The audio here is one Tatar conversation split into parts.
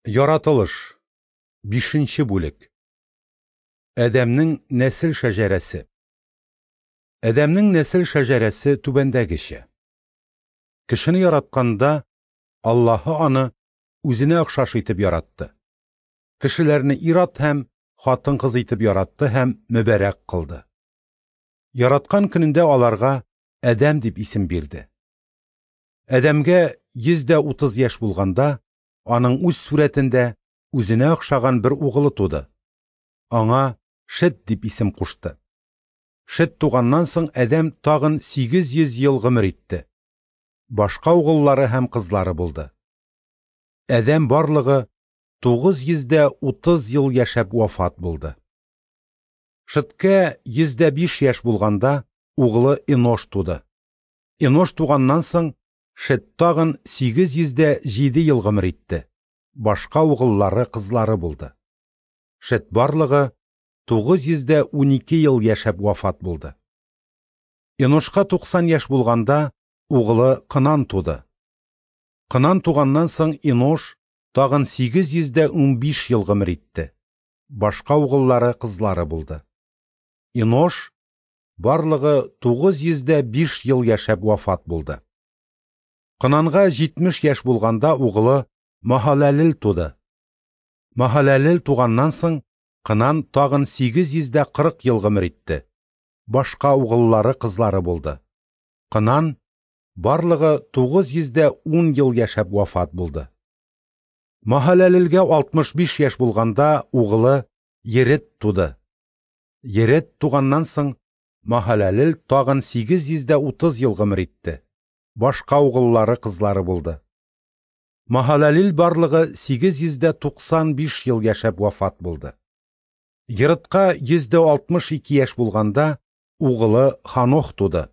Яратылыш. Бишенче бүлек. Адәмнең нәсел шәҗәрәсе. Адәмнең нәсел шәҗәрәсе түбәндәгечә. Кешене яратканда, Аллаһы аны үзенә охшаш итеп яратты. Кешеләрне ир-ат һәм хатын-кыз итеп яратты һәм мөбарәк кылды. Яраткан көнендә аларга Адәм дип исем бирде. Адәмгә 130 яшь булганда, аның үз сурәтендә үзенә охшаган бер угылы туды. Аңа Шет дип исем кушты. Шет туганнан соң Адәм тагын 800 ел гомер итте. Башка угыллары һәм кызлары булды. Адәм барлыгы 930 ел яшәп вафат булды. Шеткә 105 яшь булганда угылы Энош туды. Энош туганнан соң Шет тагын 807 ел гомер итте. Башка угыллары, кызлары булды. Шет барлыгы 912 ел яшәп вафат булды. Эношка 90 яшь булганда угылы Кынан туды. Кынан туганнан соң Энош тагын 815 ел гомер итте. Башка угыллары, кызлары булды. Энош барлыгы 905 ел яшәп вафат булды. Кынанга 70 яшь булганда угылы Маһаләлел туды. Маһаләлел туганнан соң Кынан тагын 840 ел гомер итте. Башка угыллары, кызлары булды. Кынан барлыгы 910 ел яшәп вафат булды. Маһаләлелгә 65 яшь булганда угылы Ерет туды. Ерет туганнан соң Маһаләлел тагын 830 ел гомер итте. Башка угыллары, кызлары булды. Маһаләлил барлыгы 895 ел яшәп вафат булды. Еретка 162 яшь булганда угылы Ханох туды.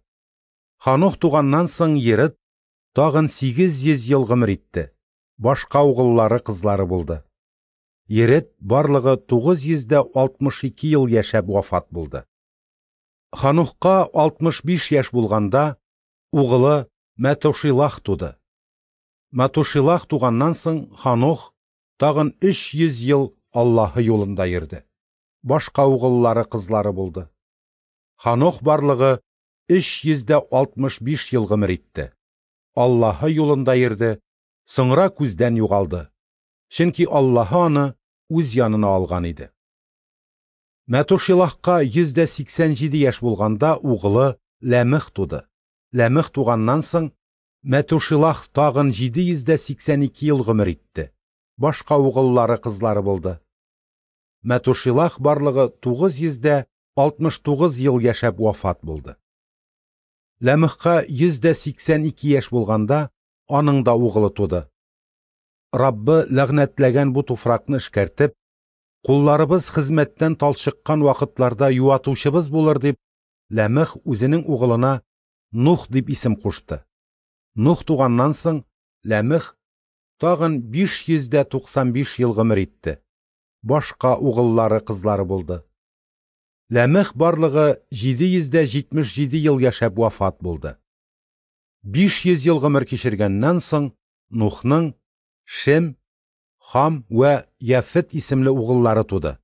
Ханох туганнан соң Ерет тагын 800 ел гомер итте. Башка угыллары, кызлары булды. Ерет барлыгы 962 ел яшәп вафат булды. Ханохка 65 яшь булганда угылы Мәтушилах туды. Мәтушилах туганнан соң Ханох тагын 300 ел Аллаһы юлында йөрде. Башка угыллары, кызлары булды. Ханох барлыгы 365 ел гомер итте. Аллаһы юлында йөрде, соңра күздән югалды. Чөнки Аллаһы аны үз янына алган иде. Мәтушилахка 187 яшь булганда угылы Ләмех туды. Ләмех туганнан соң Мәтушилах тагын 782 ел гомер итте. Башка угыллары, кызлары булды. Мәтушилах барлыгы 969 ел яшәп вафат булды. Ләмехка 182 яшь булганда аның да угылы туды. Раббы ләгънәтләгән бу туфракны эшкәртеп, кулларыбыз хезмәттән талчыккан вакытларда юатучыбыз булыр дип, Ләмех үзенең угылына Нух дип исем кушты. Нух туганнан соң Ләмех тагын 595 ел гомер итте. Башка угыллары, кызлары булды. Ләмех барлыгы 777 ел яшәп вафат булды. 500 ел гомер кичергәннән соң Нухның Шем, Хам вә Яфет исемле угыллары туды.